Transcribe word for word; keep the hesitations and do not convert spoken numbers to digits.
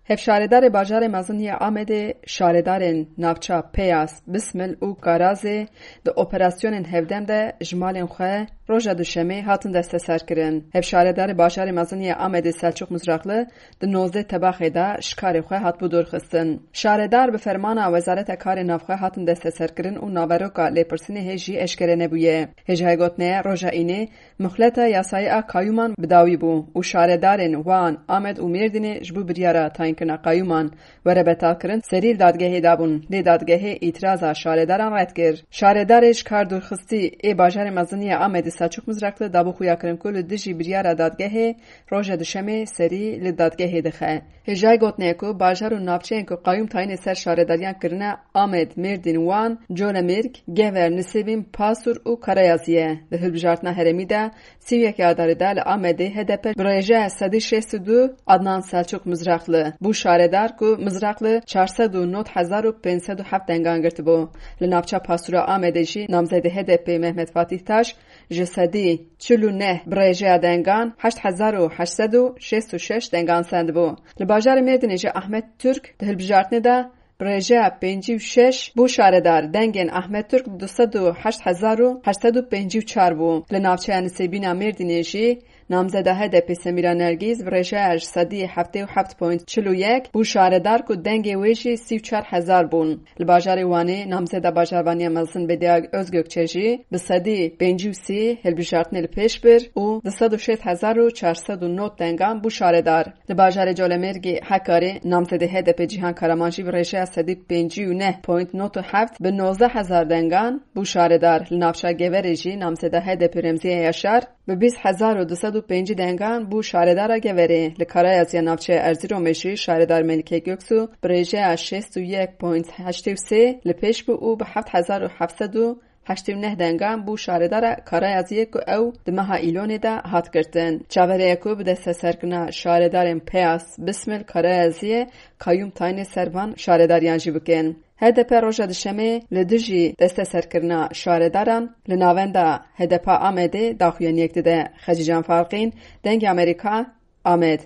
Hevşaredarê bajarê mezin yê Amedê şaredarên navça Peyas, Bismil û Karazê di operasyonên hevdem de ji malên xwe roja Duşemê hatin desteserkirin. Hevşaredarê bajarê mezin yê Amedê Selçuk Mizrakli di nozdeh Tebaxê de ji karê xwe hatibû dûrxistin. Şaredar bi fermana Wezareta Karê Navxwe hatin desteserkirin û naveroka lêpirsînê hê jî eşkere nebûye. Hêjayê gotinê ye, roja Înê muhleta yasayî a kayûman bi dawî bû û şaredarên Wan, Amed û Mêrdînê ji bo biryara tayînkirina kayûman were betalkirin serî li dadgehê dabûn, lê dadgehê îtiraza şaredaran red kir. Şaredarê ji kar dûrxistî ê bajarê mezin yê Amedê Selçuk Mizrakli dabû xuyakirin ku li dijî biryara dadgehê roja Duşemê serî li dadgehê dixe. Hêjayê gotinê ye ku bajar û navçeyên ku qayûm tayînê ser şaredariyan kirine, Amed, Mêrdîn, Wan, Colemêrg, Gever, Nisêbîn, Pasûr û Karayazî ye. Di hilbijartina herêmî de sî û yek Adarê de li Amedê H D P bi rêjeya sedî şêst û du Adnan Selçuk Mizrakli bû şaredar ku Mizrakli çar sed û nod hezar û pênc sed û heft dengan girtibû. Li navça Pasûra Amedê jî namzedê H D P Mehmet Fatîh Taş ji sedî çil û neh bi rêjeya dengan heşt hezar û heşt sed û şêst û şeş dengan sendibû. Li bajarê Mêrdînê jî Ahmet Türk di hilbijartinê de bi rêjeya pêncî û şeş bû şaredar. Dengên Ahmet Türk du sed û heşt hezar û heşt sed û pêncî û çar bû. Li navçeya Nisêbîna Mêrdînê jî namzeda H D P Semîra Nergîz bi rêjeya ji sedî heftê û heft point çil û yek bû şaredar ku dengê wê jî sî û çar hezar bûn. Li bajarê Wanê namzeda bajarvaniya mezin Bediye Özgökçe jî bi sedî pêncî û sî hilbijartinê li pêş bir û du sed û şêst hezar û çar sed û nod dengan bû şaredar. Li bajarê Colemêrgê Hekarê namzedê H D P Cîhan Karaman jî bi rêjeya sedî pêncî û neh point nod û heft bi nozdeh hezar dengan bû şaredar. Li navça Geverê jî namzeda H D P Remziye Yaşar bi bîst hezar û du sed û pêncî dengan bû şaredara Geverê. Li Karayaziya navçeya Erzîromê jî şaredar Melike Göksu bi rêjeya şêst û yek point heştê û sê li pêş bû û bi heft hezar û heft sed û heştê û neh dengan bû şaredara Karayaziyê ku ew di meha Îlonê de hat girtin. Çaverê ye ku bi desteserkirina şaredarên Peyas, Bismil, Karayaziyê kayûm tayînê ser van şaredariyan jî bikin. H D P roja Duşemê li dijî desteserkirina şaredaran li navenda H D P Amedê daxuyaniyek dide. Xecîcan Farqîn, Dengê Amerîka, Amed.